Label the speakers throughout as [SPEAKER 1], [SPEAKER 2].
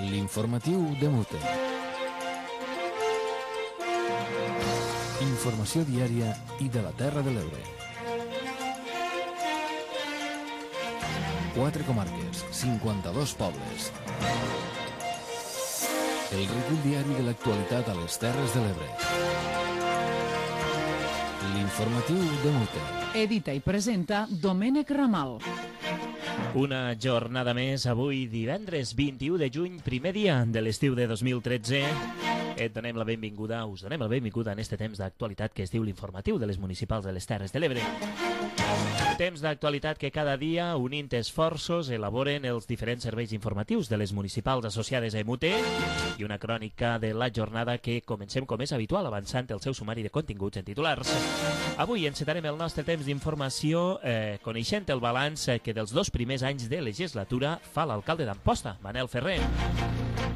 [SPEAKER 1] L'informatiu de Mute. Informació diària i de la Terra de l'Ebre. 4 comarques, 52 pobles. El recull diari de l'actualitat a les Terres de l'Ebre. L'informatiu de Mute.
[SPEAKER 2] Edita i presenta Domènec Ramal.
[SPEAKER 3] Una jornada més avui, divendres 21 de juny, primer dia de l'estiu de 2013. Et donem la benvinguda, us donem la benvinguda en este temps d'actualitat que es diu l'informatiu de les municipals de les Terres de l'Ebre. Temps d'actualitat que cada dia, unint esforços, elaboren els diferents serveis informatius de les municipals associades a EMUTE i una crònica de la jornada que comencem com és habitual, avançant el seu sumari de continguts en titulars. Avui encetarem el nostre temps d'informació coneixent el balanç que dels 2 primers anys de legislatura fa l'alcalde d'Amposta, Manel Ferrer.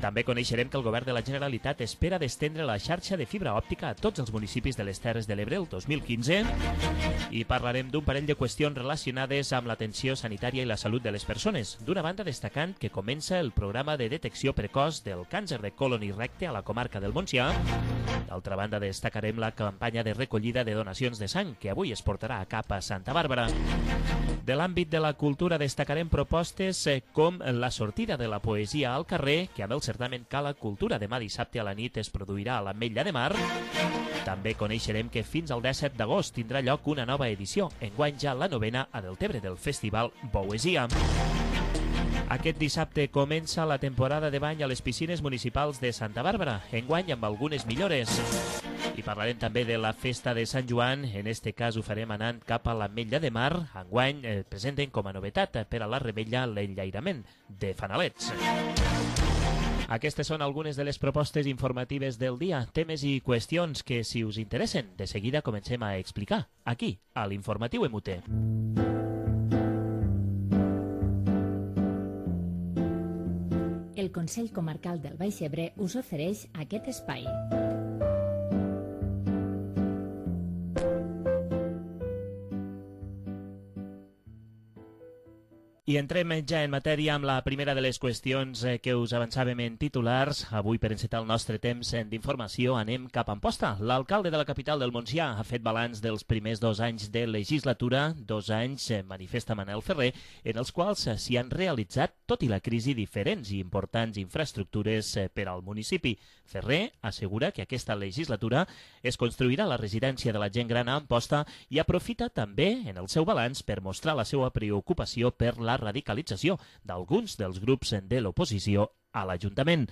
[SPEAKER 3] També coneixerem que el govern de la Generalitat espera d'estendre la xarxa de fibra òptica a tots els municipis de les Terres de l'Ebre el 2015 i parlarem d'un parell de qüestions relacionades amb l'atenció sanitària i la salut de les persones. D'una banda, destacant que comença el programa de detecció precoç del càncer de colon i recte a la comarca del Montsià. D'altra banda, destacarem la campanya de recollida de donacions de sang que avui es portarà a cap a Santa Bàrbara. De l'àmbit de la cultura destacarem propostes com la sortida de la poesia al carrer, que amb el certamen Cala Cultura demà dissabte a la nit es produirà a l'Ametlla de Mar. També coneixerem que fins al 17 d'agost tindrà lloc una nova edició, enguany ja la 9a a Deltebre del Festival Poesia. Aquest dissabte comença la temporada de bany a les piscines municipals de Santa Bàrbara, enguany amb algunes millores. I parlarem també de la festa de Sant Joan, en este cas ho farem anant cap a l'Ametlla de Mar. Enguany presenten com a novetat per a la revetlla l'enllairament de fanalets. Aquestes són algunes de les propostes informatives del dia, temes i qüestions que, si us interessen, de seguida comencem a explicar, aquí, a l'Informatiu EMUTE.
[SPEAKER 4] El Consell Comarcal del Baix Ebre us ofereix aquest espai.
[SPEAKER 3] I entrem ja en matèria amb la primera de les qüestions que us avançàvem en titulars. Avui, per encetar el nostre temps d'informació, anem cap a Amposta. L'alcalde de la capital del Montsià ha fet balanç dels primers 2 anys de legislatura, 2 anys, manifesta Manel Ferrer, en els quals s'hi han realitzat, tot i la crisi, diferents i importants infraestructures per al municipi. Ferrer assegura que aquesta legislatura es construirà la residència de la gent gran a Amposta i aprofita també en el seu balanç per mostrar la seva preocupació per la radicalització d'alguns dels grups de l'oposició a l'Ajuntament.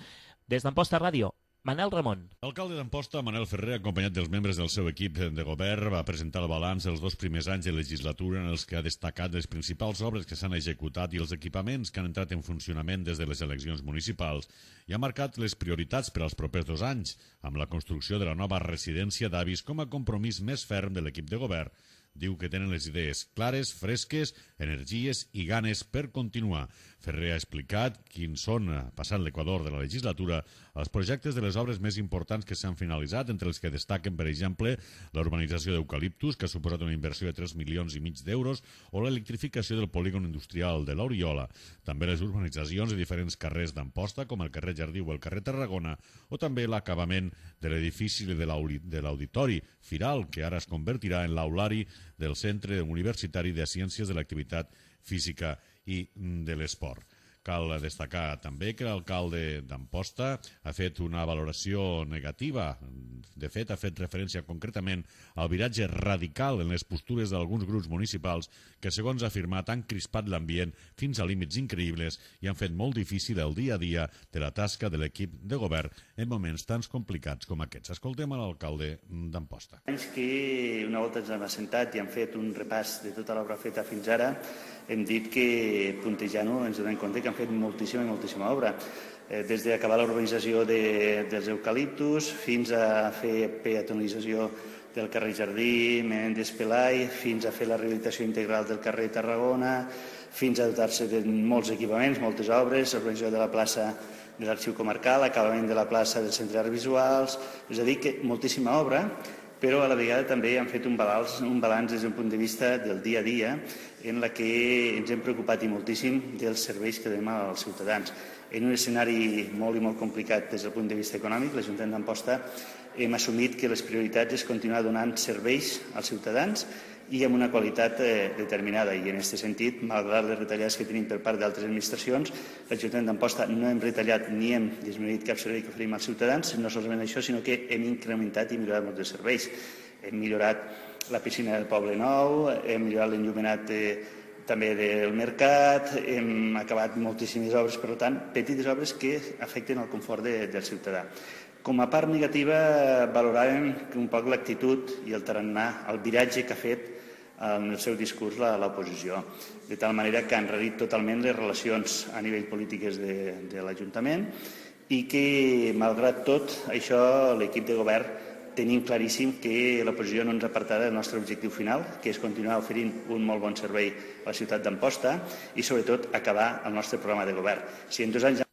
[SPEAKER 3] Des d'Amposta Ràdio, Manel Ramon.
[SPEAKER 5] L'alcalde d'Amposta, Manel Ferrer, acompanyat dels membres del seu equip de govern, va presentar el balanç dels 2 primers anys de legislatura en els que ha destacat les principals obres que s'han executat i els equipaments que han entrat en funcionament des de les eleccions municipals i ha marcat les prioritats per als propers 2 anys, amb la construcció de la nova residència d'avis com a compromís més ferm de l'equip de govern. Diu que tenen les idees clares, fresques, energies i ganes per continuar. Ferrer ha explicat quins són, passant l'equador de la legislatura, els projectes de les obres més importants que s'han finalitzat, entre els que destaquen, per exemple, la urbanització d'Eucaliptus, que ha suposat una inversió de 3,5 milions d'euros, o l'electrificació del polígon industrial de l'Oriola. També les urbanitzacions de diferents carrers d'Amposta, com el carrer Jardí o el carrer Tarragona, o també l'acabament de l'edifici de l'Auditori Firal, que ara es convertirà en l'aulari del Centre Universitari de Ciències de l'Activitat Física i de l'Esport. Cal destacar també que l'alcalde d'Amposta ha fet una valoració negativa. De fet, ha fet referència concretament al viratge radical en les postures d'alguns grups municipals que, segons ha afirmat, han crispat l'ambient fins a límits increïbles i han fet molt difícil el dia a dia de la tasca de l'equip de govern en moments tan complicats com aquests. Escoltem a l'alcalde d'Amposta.
[SPEAKER 6] Que una volta ens hem assentat i hem fet un repàs de tota l'obra feta fins ara, hem dit que, puntejant-ho, ens donem compte que han fet moltíssima obra. Des d'acabar la urbanització dels eucaliptus fins a fer peatonalització del carrer Jardí, Menéndez Pelai, fins a fer la rehabilitació integral del carrer Tarragona, fins a dotar-se de molts equipaments, moltes obres, l'urbanització de la plaça de l'Arxiu Comarcal, l'acabament de la plaça del Centre d'Arts Visuals, és a dir, que moltíssima obra però a la vegada també hem fet un balanç des d'un punt de vista del dia a dia, en la que ens hem preocupat i moltíssim dels serveis que donem als ciutadans. En un escenari molt i molt complicat des del punt de vista econòmic, l'Ajuntament d'Amposta hem assumit que les prioritats és continuar donant serveis als ciutadans i amb una qualitat determinada. I en aquest sentit, malgrat les retallades que tenim per part d'altres administracions, l'Ajuntament d'Amposta no hem retallat ni hem disminuït cap servei que oferim als ciutadans, no solament això, sinó que hem incrementat i millorat molts dels serveis. Hem millorat la piscina del Poble Nou, hem millorat l'enllumenat també del mercat, hem acabat moltíssimes obres, per tant, petites obres que afecten el confort del ciutadà. Com a part negativa, valoràvem un poc l'actitud i el tarannà, el viratge que ha fet en el seu discurs l'oposició, de tal manera que ha enrarit totalment les relacions a nivell polítiques de l'Ajuntament i que, malgrat tot, això l'equip de govern tenim claríssim que l'oposició no ens apartarà del nostre objectiu final, que és continuar oferint un molt bon servei a la ciutat d'Amposta i, sobretot, acabar el nostre programa de govern. Si en 2 anys...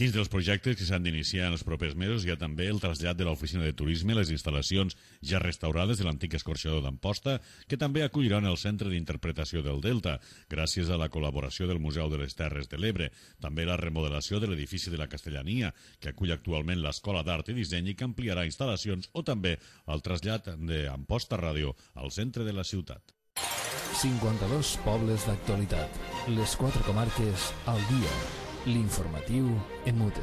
[SPEAKER 5] Dins dels projectes que s'han d'iniciar en els propers mesos hi ha també el trasllat de l'oficina de turisme, les instal·lacions ja restaurades de l'antic escorxador d'Amposta, que també acolliran el Centre d'Interpretació del Delta, gràcies a la col·laboració del Museu de les Terres de l'Ebre. També la remodelació de l'edifici de la Castellania, que acull actualment l'Escola d'Art i Disseny i que ampliarà instal·lacions, o també el trasllat d'Amposta Ràdio al centre de la ciutat.
[SPEAKER 1] 52 pobles d'actualitat. Les 4 comarques al dia. L'informatiu en mute.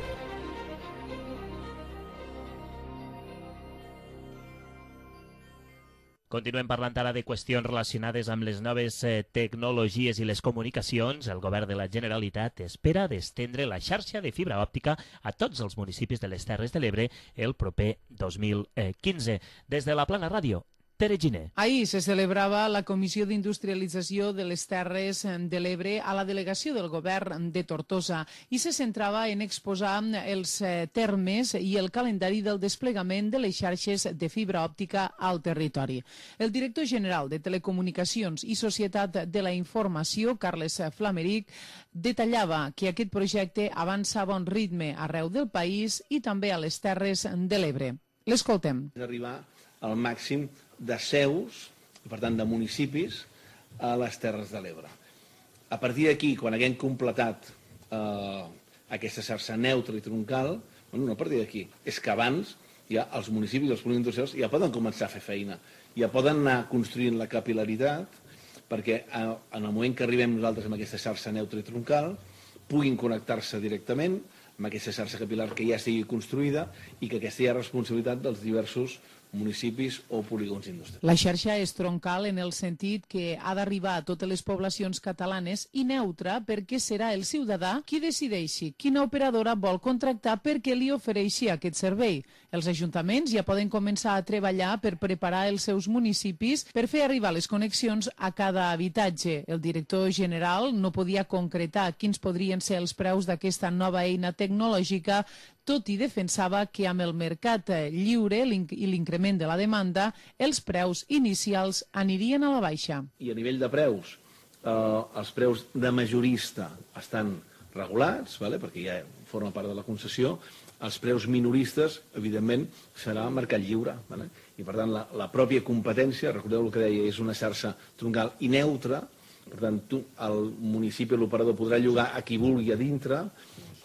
[SPEAKER 3] Continuem parlant ara de qüestions relacionades amb les noves tecnologies i les comunicacions. El govern de la Generalitat espera d'estendre la xarxa de fibra òptica a tots els municipis de les Terres de l'Ebre el proper 2015. Des de la Plana Ràdio, Tere Giner.
[SPEAKER 2] Ahir se celebrava la Comissió d'Industrialització de les Terres de l'Ebre a la delegació del govern de Tortosa i se centrava en exposar els termes i el calendari del desplegament de les xarxes de fibra òptica al territori. El director general de Telecomunicacions i Societat de la Informació, Carles Flameric, detallava que aquest projecte avança a bon ritme arreu del país i també a les Terres de l'Ebre. L'escoltem.
[SPEAKER 7] D'arribar al màxim de seus, per tant de municipis, a les Terres de l'Ebre. A partir d'aquí, quan haguem completat aquesta xarxa neutra i troncal, no a partir d'aquí, és que abans ja els municipis, els polígons industrials, ja poden començar a fer feina, ja poden anar construint la capil·laritat, perquè en el moment que arribem nosaltres amb aquesta xarxa neutra i troncal, puguin connectar-se directament amb aquesta xarxa capil·lar que ja estigui construïda i que aquesta hi ha responsabilitat dels diversos municipis o polígons industrials.
[SPEAKER 2] La xarxa és troncal en el sentit que ha d'arribar a totes les poblacions catalanes i neutra perquè serà el ciutadà qui decideixi quina operadora vol contractar perquè li ofereixi aquest servei. Els ajuntaments ja poden començar a treballar per preparar els seus municipis per fer arribar les connexions a cada habitatge. El director general no podia concretar quins podrien ser els preus d'aquesta nova eina tecnològica, tot i defensava que amb el mercat lliure i l'increment de la demanda, els preus inicials anirien a la baixa.
[SPEAKER 7] I a nivell de preus, els preus de majorista estan regulats, perquè ja forma part de la concessió. Els preus minoristes, evidentment, serà mercat lliure. I, per tant, la pròpia competència, recordeu el que deia, és una xarxa troncal i neutra. Per tant, el municipi, l'operador, podrà llogar a qui vulgui a dintre.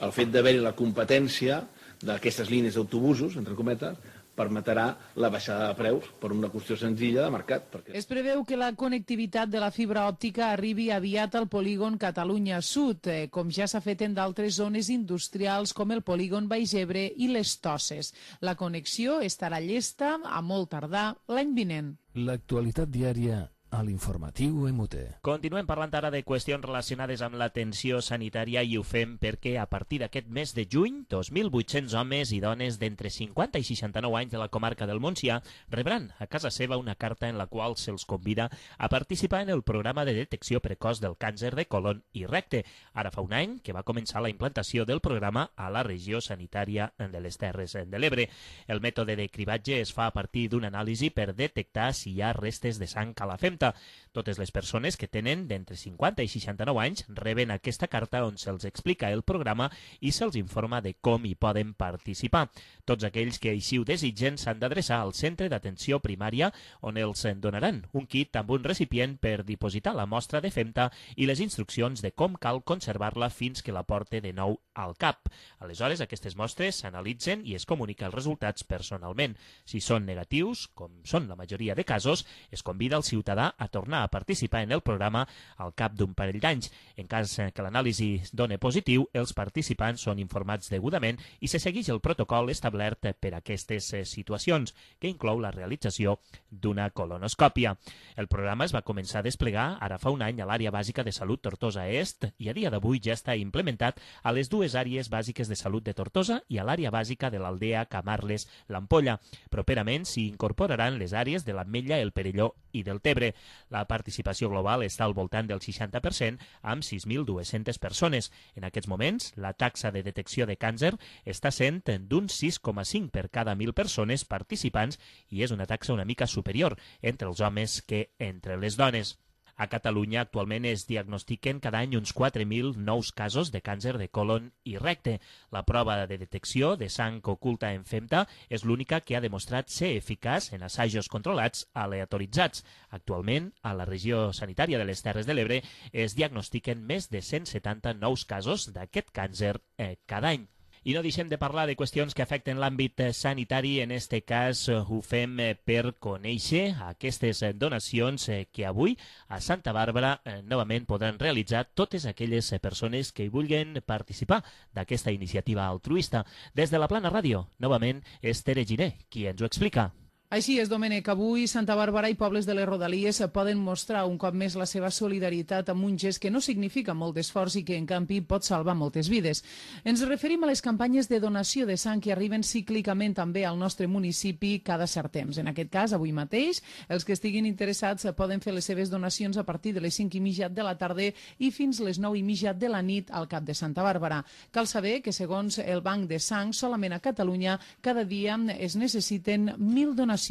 [SPEAKER 7] El fet d'haver-hi la competència d'aquestes línies d'autobusos, entre cometes, permetrà la baixada de preus per una qüestió senzilla de mercat.
[SPEAKER 2] Es preveu que la connectivitat de la fibra òptica arribi aviat al polígon Catalunya Sud, com ja s'ha fet en d'altres zones industrials com el polígon Baix Ebre i les Tosses. La connexió estarà llesta a molt tardar l'any vinent.
[SPEAKER 1] L'actualitat diària a l'informatiu MUT.
[SPEAKER 3] Continuem parlant ara de qüestions relacionades amb l'atenció sanitària i ho fem perquè a partir d'aquest mes de juny, 2.800 homes i dones d'entre 50 i 69 anys de la comarca del Montsià rebran a casa seva una carta en la qual se'ls convida a participar en el programa de detecció precoç del càncer de colon i recte. Ara fa un any que va començar la implantació del programa a la regió sanitària de les Terres de l'Ebre. El mètode de cribatge es fa a partir d'una anàlisi per detectar si hi ha restes de sang a la femta. FEMTA. Totes les persones que tenen d'entre 50 i 69 anys reben aquesta carta on se'ls explica el programa i se'ls informa de com hi poden participar. Tots aquells que així ho desitgen s'han d'adreçar al centre d'atenció primària on els donaran un kit amb un recipient per dipositar la mostra de FEMTA i les instruccions de com cal conservar-la fins que la porte de nou al CAP. Aleshores, aquestes mostres s'analitzen i es comunica els resultats personalment. Si són negatius, com són la majoria de casos, es convida el ciutadà a tornar a participar en el programa al cap d'un parell d'anys. En cas que l'anàlisi doni positiu, els participants són informats degudament i se segueix el protocol establert per a aquestes situacions, que inclou la realització d'una colonoscòpia. El programa es va començar a desplegar ara fa un any a l'àrea bàsica de salut Tortosa Est i a dia d'avui ja està implementat a les dues àrees bàsiques de salut de Tortosa i a l'àrea bàsica de l'Aldea Camarles-l'Ampolla. Properament s'hi incorporaran les àrees de l'Ametlla, el Perelló i del Tebre. La participació global està al voltant del 60%, amb 6.200 persones. En aquests moments, la taxa de detecció de càncer està sent d'un 6,5 per cada 1.000 persones participants i és una taxa una mica superior entre els homes que entre les dones. A Catalunya actualment es diagnostiquen cada any uns 4.000 nous casos de càncer de colon i recte. La prova de detecció de sang oculta en FEMTA és l'única que ha demostrat ser eficaç en assajos controlats aleatoritzats. Actualment, a la regió sanitària de les Terres de l'Ebre es diagnostiquen més de 170 nous casos d'aquest càncer cada any. I no deixem de parlar de qüestions que afecten l'àmbit sanitari. En este cas ho fem per conèixer aquestes donacions que avui a Santa Bàrbara novament podran realitzar totes aquelles persones que hi vulguin participar d'aquesta iniciativa altruista. Des de la Plana Ràdio, novament és Tere Giner qui ens ho explica.
[SPEAKER 2] Així és, Domènec. Avui Santa Bàrbara i pobles de les Rodalies poden mostrar un cop més la seva solidaritat amb un gest que no significa molt d'esforç i que, en canvi, pot salvar moltes vides. Ens referim a les campanyes de donació de sang que arriben cíclicament també al nostre municipi cada cert temps. En aquest cas, avui mateix, els que estiguin interessats poden fer les seves donacions a partir de les 5:30 de la tarda i fins les 9:30 de la nit al cap de Santa Bàrbara. Cal saber que, segons el Banc de Sang, solament a Catalunya cada dia es necessiten 1.000 donacions.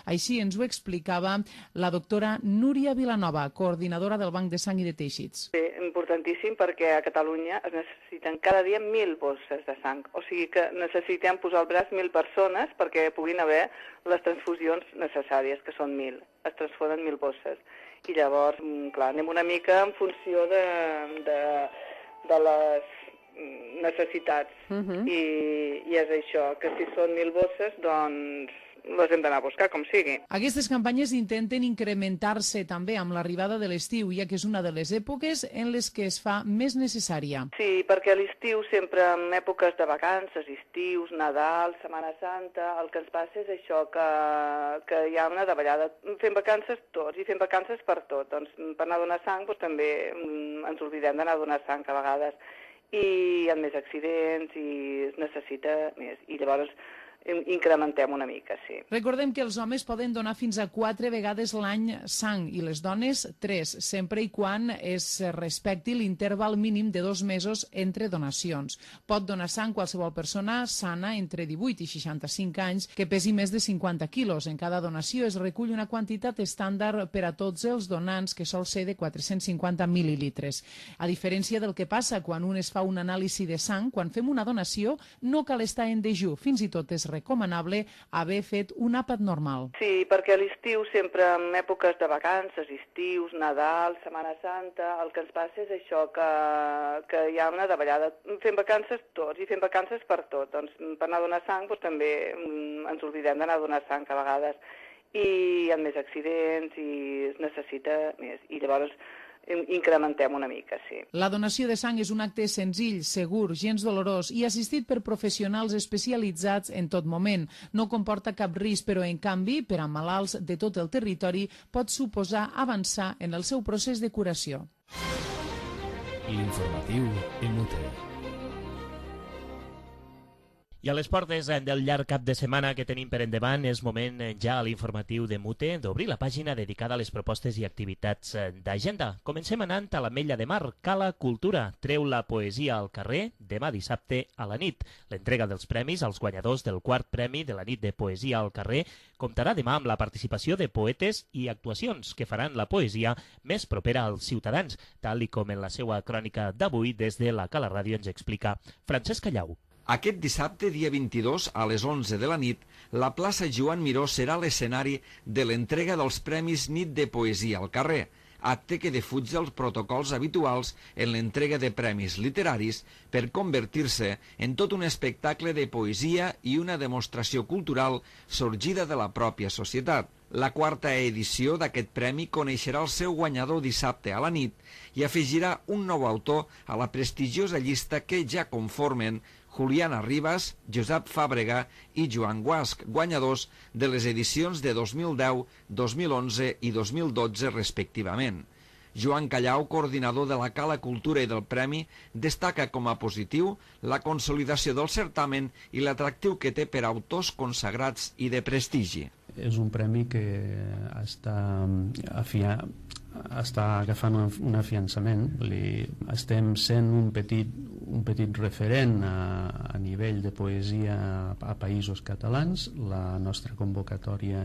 [SPEAKER 2] Així ens ho explicava la doctora Núria Vilanova, coordinadora del Banc de Sang i de Teixits.
[SPEAKER 8] Sí, importantíssim perquè a Catalunya es necessiten cada dia 1.000 bosses de sang. O sigui que necessitem posar al braç 1.000 persones perquè puguin haver les transfusions necessàries, que són 1.000. Es transfonen 1.000 bosses. I llavors, clar, anem una mica en funció de les necessitats. I és això, que si són 1.000 bosses, doncs les hem d'anar a buscar, com sigui.
[SPEAKER 2] Aquestes campanyes intenten incrementar-se també amb l'arribada de l'estiu, ja que és una de les èpoques en les que es fa més necessària.
[SPEAKER 8] Sí, perquè a l'estiu sempre en èpoques de vacances, estius, Nadal, Setmana Santa, el que ens passa és això, que hi ha una davallada. Fem vacances tots i fem vacances per tot. Doncs per anar a donar sang doncs, també ens oblidem d'anar a donar sang a vegades. I hi ha més accidents i es necessita més. I llavors incrementem una mica, sí.
[SPEAKER 2] Recordem que els homes poden donar fins a 4 vegades l'any sang i les dones 3, sempre i quan es respecti l'interval mínim de 2 mesos entre donacions. Pot donar sang qualsevol persona sana entre 18 i 65 anys que pesi més de 50 quilos. En cada donació es recull una quantitat estàndard per a tots els donants, que sol ser de 450 mil·lilitres. A diferència del que passa quan un es fa un anàlisi de sang, quan fem una donació no cal estar en dejú, fins i tot és recomanable haver fet un àpat normal.
[SPEAKER 8] Sí, perquè a l'estiu sempre en èpoques de vacances, estius, Nadal, Setmana Santa, el que ens passa és això, que hi ha una davallada. Fem vacances tots i fem vacances per tot. Doncs per anar a donar sang doncs, també ens oblidem d'anar a donar sang a vegades. I hi ha més accidents i es necessita més. I llavors incrementem una mica, sí.
[SPEAKER 2] La donació de sang és un acte senzill, segur, gens dolorós i assistit per professionals especialitzats en tot moment. No comporta cap risc, però en canvi, per a malalts de tot el territori, pot suposar avançar en el seu procés de curació.
[SPEAKER 1] L'informatiu en UTE.
[SPEAKER 3] I a les portes del llarg cap de setmana que tenim per endavant és moment ja a l'informatiu de Mute d'obrir la pàgina dedicada a les propostes i activitats d'agenda. Comencem anant a l'Ametlla de Mar. Cala Cultura treu la poesia al carrer demà dissabte a la nit. L'entrega dels premis als guanyadors del quart premi de la nit de poesia al carrer comptarà demà amb la participació de poetes i actuacions que faran la poesia més propera als ciutadans, tal i com en la seva crònica d'avui des de la Cala Ràdio ens explica Francesc Callau.
[SPEAKER 9] Aquest dissabte, dia 22, a les 11 de la nit, la plaça Joan Miró serà l'escenari de l'entrega dels Premis Nit de Poesia al carrer, acte que defuig els protocols habituals en l'entrega de premis literaris per convertir-se en tot un espectacle de poesia i una demostració cultural sorgida de la pròpia societat. La quarta edició d'aquest premi coneixerà el seu guanyador dissabte a la nit i afegirà un nou autor a la prestigiosa llista que ja conformen Juliana Ribas, Josep Fàbrega i Joan Guasc, guanyadors de les edicions de 2010, 2011 i 2012 respectivament. Joan Callau, coordinador de la Cala Cultura i del Premi, destaca com a positiu la consolidació del certamen i l'atractiu que té per autors consagrats i de prestigi.
[SPEAKER 10] És un premi que està agafant un afiançament. Estem sent un petit referent a nivell de poesia a països catalans. La nostra convocatòria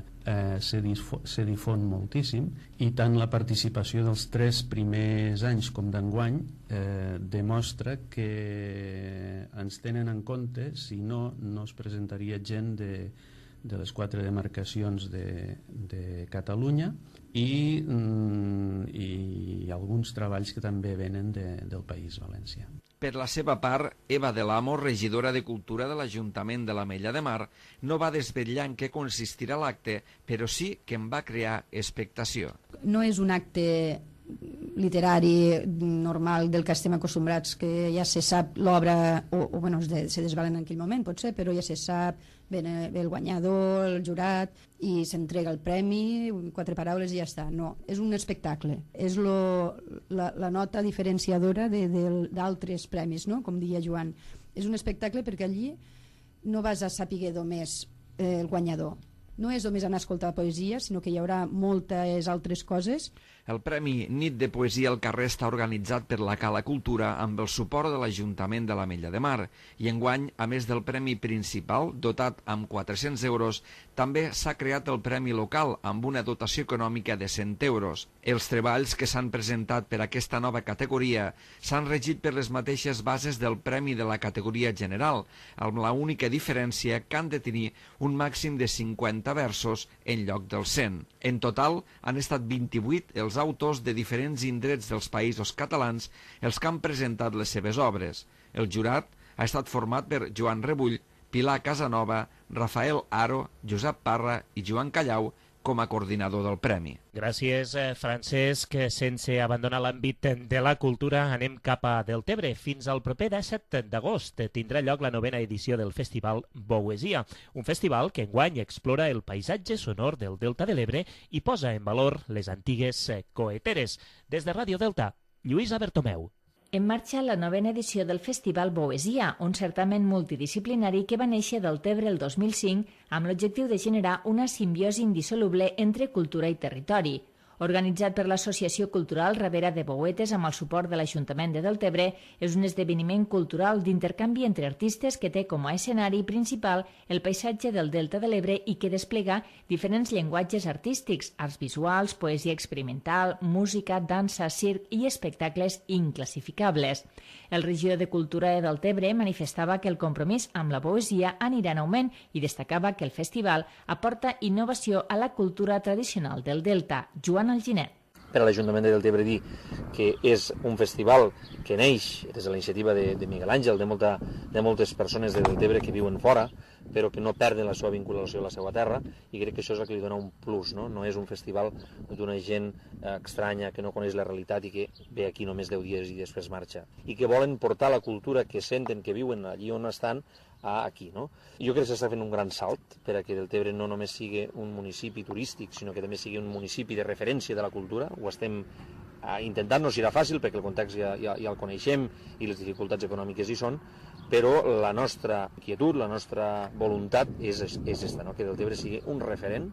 [SPEAKER 10] se difon moltíssim i tant la participació dels 3 primers anys com d'enguany demostra que ens tenen en compte, si no, no es presentaria gent de les 4 demarcacions de Catalunya i alguns treballs que també venen del País Valencià.
[SPEAKER 9] Per la seva part, Eva de l'Amo, regidora de Cultura de l'Ajuntament de l'Ametlla de Mar, no va desvetllar en què consistirà l'acte, però sí que en va crear expectació.
[SPEAKER 11] No és un acte literari normal del que estem acostumbrats, que ja se sap l'obra, o bueno, se desvelen en aquell moment, potser, però ja se sap, ve el guanyador, el jurat, i s'entrega el premi, 4 paraules i ja està. No, és un espectacle. És la nota diferenciadora d'altres premis, no? Com deia Joan. És un espectacle perquè allí no vas a saber només el guanyador. No és només anar a escoltar poesia, sinó que hi haurà moltes altres coses.
[SPEAKER 9] El Premi Nit de Poesia al Carrer està organitzat per la Cala Cultura amb el suport de l'Ajuntament de l'Ametlla de Mar i enguany, a més del premi principal, dotat amb 400 euros, també s'ha creat el Premi Local amb una dotació econòmica de 100 euros. Els treballs que s'han presentat per aquesta nova categoria s'han regit per les mateixes bases del Premi de la categoria general, amb la única diferència que han de tenir un màxim de 50 versos en lloc dels 100. En total, han estat 28 els autors de diferents indrets dels països catalans els que han presentat les seves obres. El jurat ha estat format per Joan Rebull, Pilar Casanova, Rafael Aro, Josep Parra i Joan Callau com a coordinador del premi.
[SPEAKER 3] Gràcies, Francesc. Sense abandonar l'àmbit de la cultura, anem cap a Deltebre. Fins al proper 17 d'agost tindrà lloc la 9ª edició del Festival Poesia, un festival que enguany explora el paisatge sonor del Delta de l'Ebre i posa en valor les antigues coeteres. Des de Ràdio Delta, Lluïsa Bertomeu.
[SPEAKER 4] En marxa la 9ª edició del Festival Poesia, un certamen multidisciplinari que va néixer del Deltebre el 2005 amb l'objectiu de generar una simbiosi indissoluble entre cultura i territori. Organitzat per l'Associació Cultural Ribera de Poetes amb el suport de l'Ajuntament de Deltebre, és un esdeveniment cultural d'intercanvi entre artistes que té com a escenari principal el paisatge del Delta de l'Ebre i que desplega diferents llenguatges artístics, arts visuals, poesia experimental, música, dansa, circ i espectacles inclassificables. El regidor de Cultura de Deltebre manifestava que el compromís amb la poesia anirà en augment i destacava que el festival aporta innovació a la cultura tradicional del Delta. Joan Alginet.
[SPEAKER 12] Per a l'Ajuntament de Deltebre dir que és un festival que neix des de la iniciativa de Miguel Àngel, de moltes persones de Deltebre que viuen fora, però que no perden la seva vinculació a la seva terra, i crec que això és el que li dona un plus, no? No és un festival d'una gent estranya que no coneix la realitat i que ve aquí només 10 dies i després marxa, i que volen portar la cultura que senten, que viuen allí on estan, aquí, no? Jo crec que s'està fent un gran salt per a que Deltebre no només sigui un municipi turístic, sinó que també sigui un municipi de referència de la cultura. Ho estem intentar no serà fàcil perquè el context ja el coneixem i les dificultats econòmiques hi són, però la nostra inquietud, la nostra voluntat és esta, no? Que Deltebre sigui un referent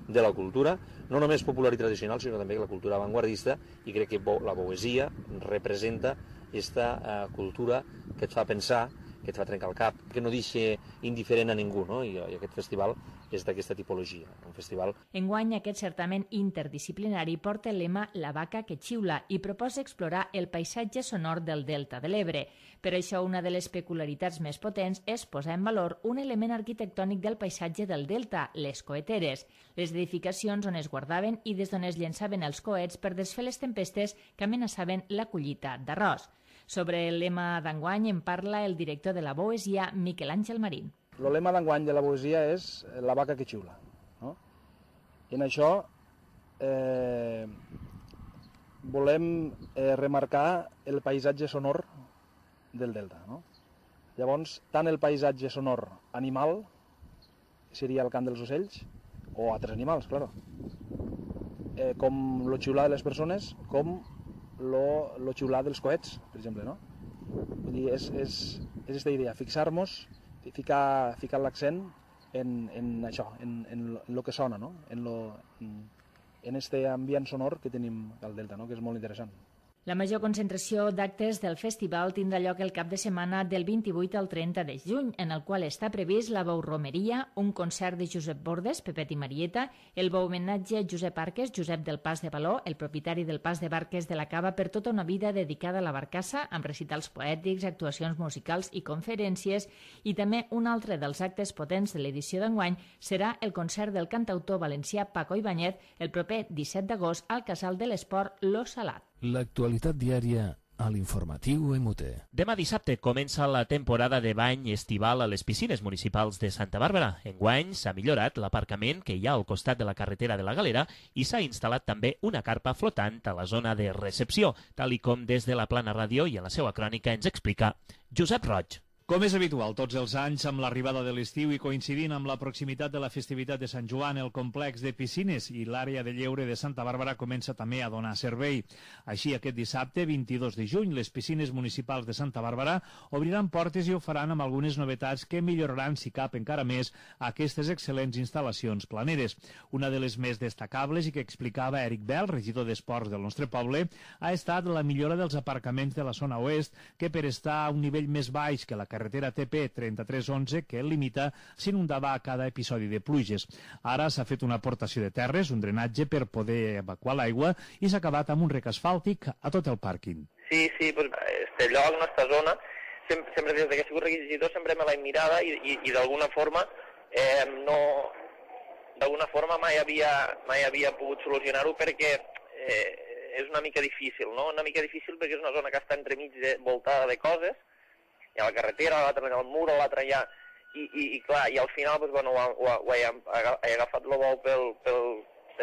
[SPEAKER 12] de la cultura, no només popular i tradicional, sinó també la cultura avantguardista, i crec que la poesia representa aquesta cultura que et fa pensar, que et fa trencar el cap, que no deixa indiferent a ningú, no? I aquest festival és d'aquesta tipologia, un festival.
[SPEAKER 4] Enguany, aquest certamen interdisciplinari porta el lema La vaca que xiula i proposa explorar el paisatge sonor del Delta de l'Ebre. Per això, una de les peculiaritats més potents és posar en valor un element arquitectònic del paisatge del Delta, les coeteres, les edificacions on es guardaven i des d'on es llançaven els coets per desfer les tempestes que amenaçaven la collita d'arròs. Sobre el lema d'enguany en parla el director de la Boesia, Miquel Àngel Marín.
[SPEAKER 13] El lema d'enguany de la Boesia és la vaca que xiula. No? I en això volem remarcar el paisatge sonor del Delta. No? Llavors, tant el paisatge sonor animal, seria el cant dels ocells, o altres animals, claro, com el xiular de les persones, com el xiular dels coets, per exemple. No? Vull dir, és aquesta idea, fixar-nos, ficar l'accent en això, en lo que sona, no? En este ambient sonor que tenim al Delta, no? Que és molt interessant.
[SPEAKER 4] La major concentració d'actes del festival tindrà lloc el cap de setmana del 28 al 30 de juny, en el qual està previst la bou-romeria, un concert de Josep Bordes, Pepet i Marieta, el bou-homenatge a Josep Arques, Josep del Pas de Való, el propietari del Pas de Barques de la Cava per tota una vida dedicada a la barcassa, amb recitals poètics, actuacions musicals i conferències, i també un altre dels actes potents de l'edició d'enguany serà el concert del cantautor valencià Paco Ibáñez el proper 17 d'agost al Casal de l'Esport Lo Salat.
[SPEAKER 1] L'actualitat diària a l'informatiu MUT.
[SPEAKER 3] Demà dissabte comença la temporada de bany estival a les piscines municipals de Santa Bàrbara. Enguany s'ha millorat l'aparcament que hi ha al costat de la carretera de la Galera i s'ha instal·lat també una carpa flotant a la zona de recepció, tal i com des de la Plana Ràdio i en la seva crònica ens explica Josep Roig.
[SPEAKER 14] Com és habitual tots els anys, amb l'arribada de l'estiu i coincidint amb la proximitat de la festivitat de Sant Joan, el complex de piscines i l'àrea de lleure de Santa Bàrbara comença també a donar servei. Així, aquest dissabte, 22 de juny, les piscines municipals de Santa Bàrbara obriran portes i ho faran amb algunes novetats que milloraran, si cap encara més, aquestes excel·lents instal·lacions planeres. Una de les més destacables i que explicava Eric Bell, regidor d'Esports del nostre poble, ha estat la millora dels aparcaments de la zona oest, que per estar a un nivell més baix que la carretera TP 3311 que el limita s'inundava a cada episodi de pluges. Ara s'ha fet una aportació de terres, un drenatge per poder evacuar l'aigua i s'ha acabat amb un rec asfàltic a tot el pàrquing.
[SPEAKER 15] Sí, pues este lloc, esta zona, sempre des que he sigut regidor sempre me l'he mirada i d'alguna forma mai havia pogut solucionar-ho perquè és una mica difícil, no? Una mica difícil perquè és una zona que està entremig voltada de coses. Hi ha la carretera, l'altre el mur, l'altre allà, i clar, i al final pues, bueno, he agafat el bou per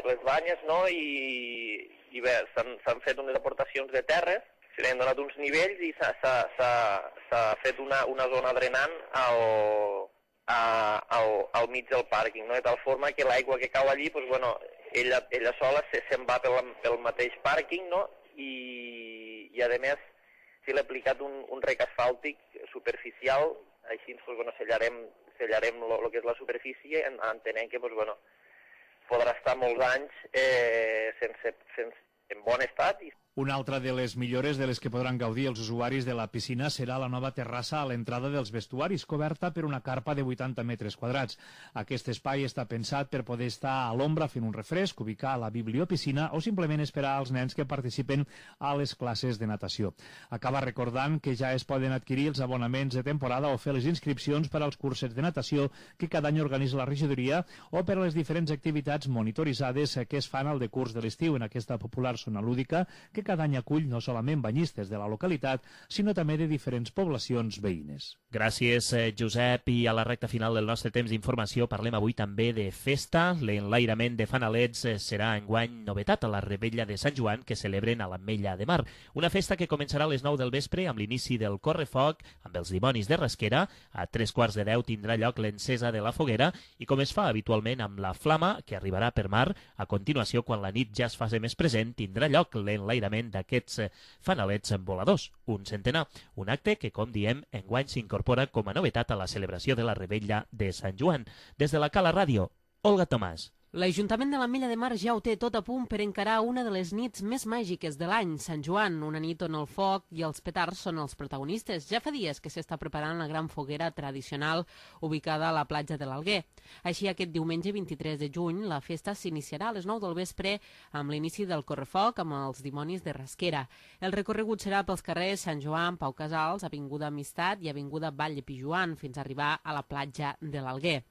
[SPEAKER 15] les banyes, no? I bé, s'han fet unes aportacions de terres, se li han donat uns nivells i s'ha fet una zona drenant al mig del pàrquing, no? De tal forma que l'aigua que cau allí, pues, bueno, ella sola se'n va pel mateix pàrquing, no? I a més, si l'he aplicat un rec asfàltic superficial, així pues, bueno, sellarem el que és la superfície, entenent que pues, bueno, podrà estar molts anys en bon estat.
[SPEAKER 14] Una altra de les millores de les que podran gaudir els usuaris de la piscina serà la nova terrassa a l'entrada dels vestuaris, coberta per una carpa de 80 metres quadrats. Aquest espai està pensat per poder estar a l'ombra fent un refresc, ubicar la bibliopiscina o simplement esperar als nens que participen a les classes de natació. Acaba recordant que ja es poden adquirir els abonaments de temporada o fer les inscripcions per als cursos de natació que cada any organitza la regidoria o per a les diferents activitats monitoritzades que es fan al decurs de l'estiu en aquesta popular zona lúdica que cada any acull no solament banyistes de la localitat, sinó també de diferents poblacions veïnes.
[SPEAKER 3] Gràcies, Josep. I a la recta final del nostre temps d'informació parlem avui també de festa. L'enlairament de fanalets serà enguany novetat a la Rebella de Sant Joan que celebren a l'Ametlla de Mar. Una festa que començarà a les 9 del vespre amb l'inici del correfoc amb els dimonis de Rasquera. A 3:15 tindrà lloc l'encesa de la foguera i com es fa habitualment amb la flama que arribarà per mar, a continuació, quan la nit ja es faci més present, tindrà lloc l'enlairament lliurament d'aquests fanalets voladors, un centenar. Un acte que, com diem, enguany s'incorpora com a novetat a la celebració de la Revetlla de Sant Joan. Des de la Cala Ràdio, Olga Tomàs.
[SPEAKER 16] L'Ajuntament de l'Ametlla de Mar ja ho té tot a punt per encarar una de les nits més màgiques de l'any, Sant Joan, una nit on el foc i els petards són els protagonistes. Ja fa dies que s'està preparant la gran foguera tradicional ubicada a la platja de l'Alguer. Així, aquest diumenge 23 de juny, la festa s'iniciarà a les 9 del vespre amb l'inici del correfoc amb els dimonis de Rasquera. El recorregut serà pels carrers Sant Joan, Pau Casals, Avinguda Amistat i Avinguda Vall de Pijuan fins a arribar a la platja de l'Alguer.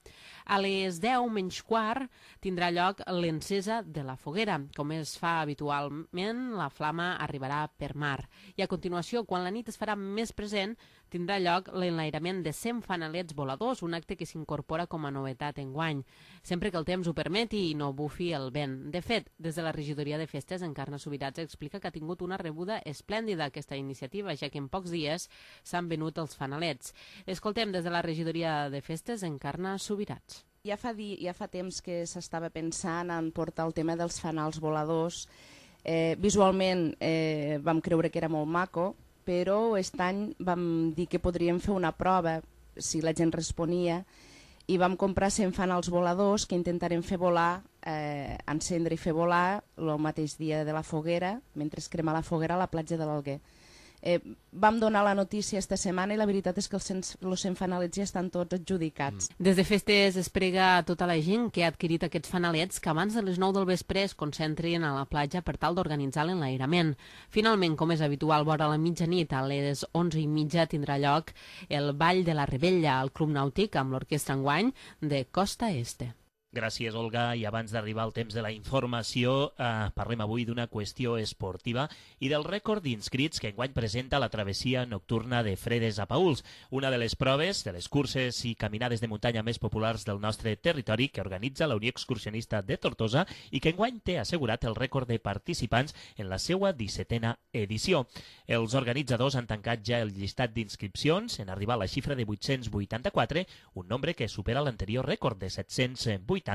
[SPEAKER 16] A les 10 menys quart tindrà lloc l'encesa de la foguera. Com es fa habitualment, la flama arribarà per mar. I a continuació, quan la nit es farà més present, tindrà lloc l'enlairament de 100 fanalets voladors, un acte que s'incorpora com a novetat enguany, sempre que el temps ho permeti i no bufi el vent. De fet, des de la regidoria de festes, Encarna Subirats explica que ha tingut una rebuda esplèndida aquesta iniciativa, ja que en pocs dies s'han venut els fanalets. Escoltem des de la regidoria de festes, Encarna Subirats.
[SPEAKER 17] Ja fa temps que s'estava pensant en portar el tema dels fanals voladors. Visualment vam creure que era molt maco, però aquest any vam dir que podríem fer una prova si la gent responia i vam comprar 100 fanals voladors que intentarem fer volar, encendre i fer volar el mateix dia de la foguera, mentre es crema la foguera a la platja de l'Alguer. Vam donar la notícia esta setmana i la veritat és que els 100 fanalets ja estan tots adjudicats.
[SPEAKER 16] Des de festes es prega a tota la gent que ha adquirit aquests fanalets que abans de les 9 del vespre es concentrin a la platja per tal d'organitzar l'enlairament. Finalment, com és habitual, vora la mitjanit, a les 11:30 tindrà lloc el Ball de la Revetlla al Club Nàutic amb l'orquestra enguany de Costa Este.
[SPEAKER 3] Gràcies, Olga. I abans d'arribar al temps de la informació, parlem avui d'una qüestió esportiva i del rècord d'inscrits que enguany presenta la travessia nocturna de Fredes a Paüls, una de les proves, de les curses i caminades de muntanya més populars del nostre territori que organitza la Unió Excursionista de Tortosa i que enguany té assegurat el rècord de participants en la seva 17a edició. Els organitzadors han tancat ja el llistat d'inscripcions en arribar a la xifra de 884, un nombre que supera l'anterior rècord de 780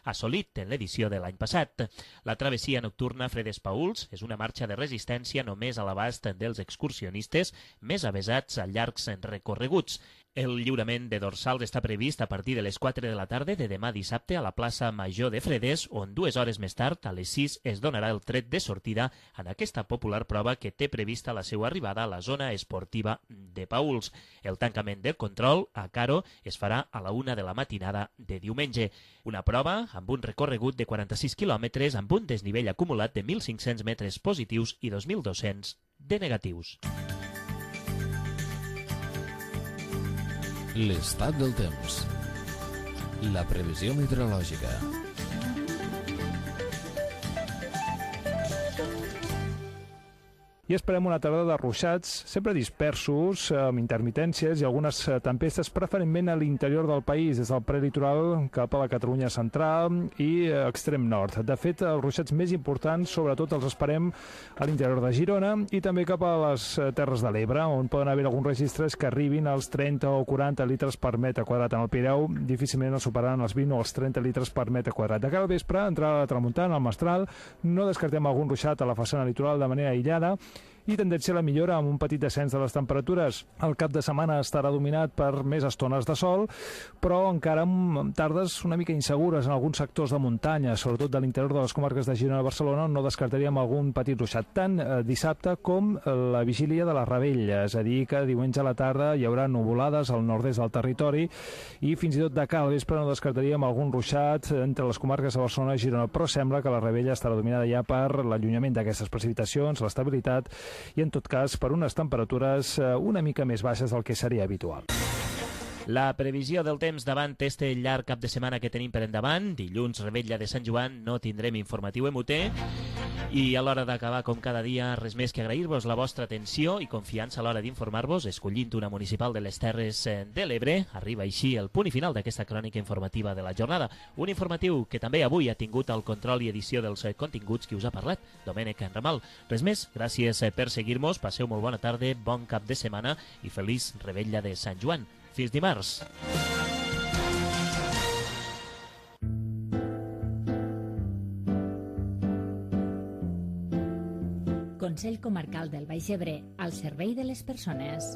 [SPEAKER 3] assolit en l'edició de l'any passat. La travessia nocturna Fredes Paüls és una marxa de resistència només a l'abast dels excursionistes més avesats a llargs recorreguts. El lliurament de dorsals està previst a partir de les 4 de la tarda de demà dissabte a la plaça Major de Fredes, on 2 hores més tard, a les 6, es donarà el tret de sortida en aquesta popular prova que té prevista la seva arribada a la zona esportiva de Paüls. El tancament del control a Caro es farà a la 1 de la matinada de diumenge. Una prova amb un recorregut de 46 quilòmetres amb un desnivell acumulat de 1.500 metres positius i 2.200 de negatius.
[SPEAKER 1] L'estat del temps. La previsió meteorològica.
[SPEAKER 18] I esperem una tarda de ruixats, sempre dispersos, amb intermitències i algunes tempestes, preferentment a l'interior del país, des del prelitoral cap a la Catalunya central i extrem nord. De fet, els ruixats més importants, sobretot els esperem a l'interior de Girona i també cap a les Terres de l'Ebre, on poden haver alguns registres que arribin als 30 o 40 litres per metre quadrat. En el Pireu difícilment els superaran els 20 o els 30 litres per metre quadrat. De cara al vespre, entrarà la tramuntana, el mestral, no descartem algun ruixat a la façana litoral de manera aïllada, i tendència a la millora amb un petit descens de les temperatures. El cap de setmana estarà dominat per més estones de sol, però encara amb tardes una mica insegures en alguns sectors de muntanya, sobretot de l'interior de les comarques de Girona i Barcelona, on no descartaríem algun petit ruixat, tant dissabte com la vigília de la Revetlla, és a dir, que diumenge a la tarda hi haurà nuvolades al nord-est del territori i fins i tot de cara al vespre no descartaríem algun ruixat entre les comarques de Barcelona i Girona, però sembla que la Revetlla estarà dominada ja per l'allunyament d'aquestes precipitacions, l'estabilitat i, en tot cas, per unes temperatures una mica més baixes del que seria habitual.
[SPEAKER 3] La previsió del temps davant este llarg cap de setmana que tenim per endavant. Dilluns, Revetlla de Sant Joan, no tindrem informatiu MUT. I a l'hora d'acabar, com cada dia, res més que agrair-vos la vostra atenció i confiança a l'hora d'informar-vos, escollint una municipal de les Terres de l'Ebre. Arriba així el punt i final d'aquesta crònica informativa de la jornada. Un informatiu que també avui ha tingut el control i edició dels continguts que us ha parlat, Domènec Enramal. Res més, gràcies per seguir-nos, passeu molt bona tarda, bon cap de setmana i feliç Revetlla de Sant Joan. Fins dimarts.
[SPEAKER 4] Consell Comarcal del Baix Ebre, al servei de les persones.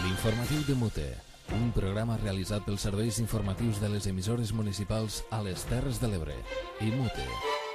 [SPEAKER 1] L'informatiu de Mute, un programa realitzat pels serveis informatius de les emissores municipals a les Terres de l'Ebre i Mute.